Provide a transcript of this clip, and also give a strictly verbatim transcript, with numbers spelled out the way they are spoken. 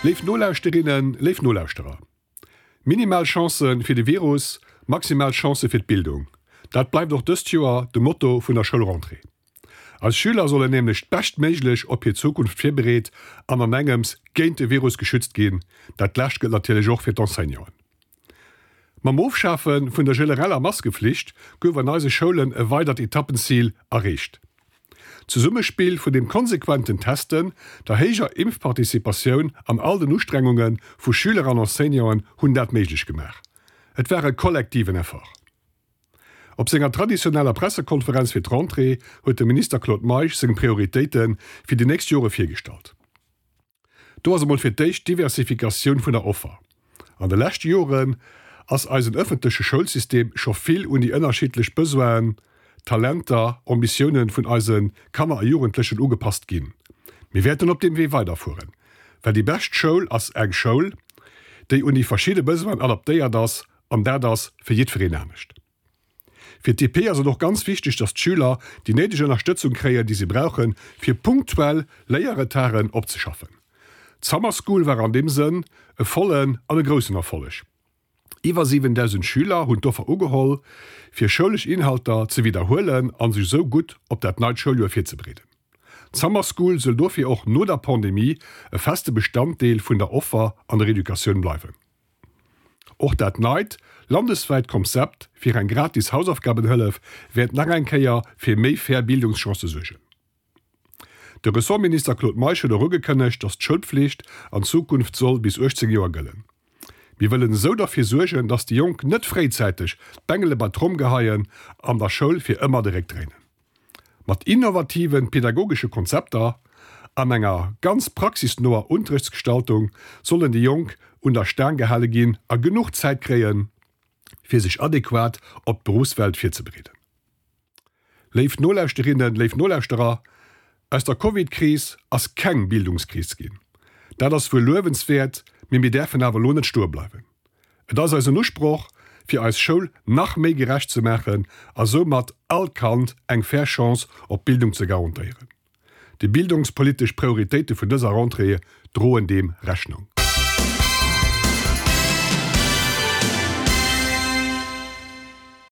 Léif Nolauschterinnen, léif Nolauschterer, minimal Chancë fir de Virus, maximal Chancë fir d'Bildung, dat bleift och dëst Joer de Motto vun der Schoulrentrée. Eis Schüler sollen nämlech beschtméiglech op hir Zukunft virbereet an an engems géint de Virus geschützt ginn. Dat lescht gëllt natierlech och fir d'Enseignanten. Mam Ofschafe vun der genereller Maskeflicht gouf an eise Schoulen e weidert Etappenzil erreecht. D'Zesummespill vun dem konsequenten Testen, der héijer Impfparticipatioun an all den Ustrengunge vu Schüler an Enseignanten hunn dat méiglech gemaach. Et war e kollektiven Effort. Op senger traditioneller Pressekonferenz fir d'Rentrée huet de Minister Claude Meisch seng Prioritéite fir déi nächst Jore virgestallt. Do ass emol fir d'éischt d'Diversifikatioun vun der Offer. An de leschte Joren ass eisen ëffentleche Schoulsystem scho vill un déi ënnerschiddlech Besoinen, Talenter, Ambitiounen vun eise Kanner a Jugendlechen ugepasst ginn. Mir wäerten op deem Wee weiderfueren, well déi bescht Schoul ass eng Schoul, déi un déi verschidde Besoinen adaptéiert ass, an dat ass fir jiddwereen anescht. Fir d'DP ass et och ganz wichteg, dass d'Schüler déi néideg Ënnerstëtzung kréien, déi si brauchen, fir punktuell Léierretarden opzeschaffen. D'Summer School war an deem Sënn e vollen an e groussen Erfolleg. Iwwer siwendausend Schüler hunn d'Offer ugeholl, fir schoulesch Inhalter ze widderhuelen a sech esou gutt op dat neit Schouljoer virzebereeden. D'Summer School soll dofir och no der Pandemie e feste Bestanddeel vun der Offer an der Educatioun bleiwen. Och dat neit landeswäit Konzept fir eng gratis Hausaufgabenhëllef wäert nach eng Kéier fir méi fair Bildungschancë suergen. De Ressortminister Claude Meisch huet och ugekënnegt, datt d'Schoulpflicht an Zukunft soll bis uechtzéng Joer gëllen. Mir wëllen esou derfir suergen, datt déi Jonk net fréizäiteg d'Bengele bei d'Tromm geheien an der Schoul fir ëmmer de Réck dréinen. Mat innovative pedagogesche Konzepter an enger ganz praxisnoer Unterrichtsgestaltung sollen déi Jonk un der Staang gehale ginn a genuch Zäit kréien, fir sech adequat op d'Beruffswelt virzebereeden. Léif Nolauschterinnen, léif Nolauschterer, aus der Covid-Kris ass keng Bildungskris ginn. Dat ass wuel luewenswäert, mee mir däerfen awer elo net stoe bleiwen. Et ass eisen Usproch, fir eis Schoul nach méi gerecht ze maachen a soumat all Kand eng fair Chance op Bildung ze garantéieren. Déi bildungspolitesch Prioritéite vun dëser Rentrée droen deem Rechnung.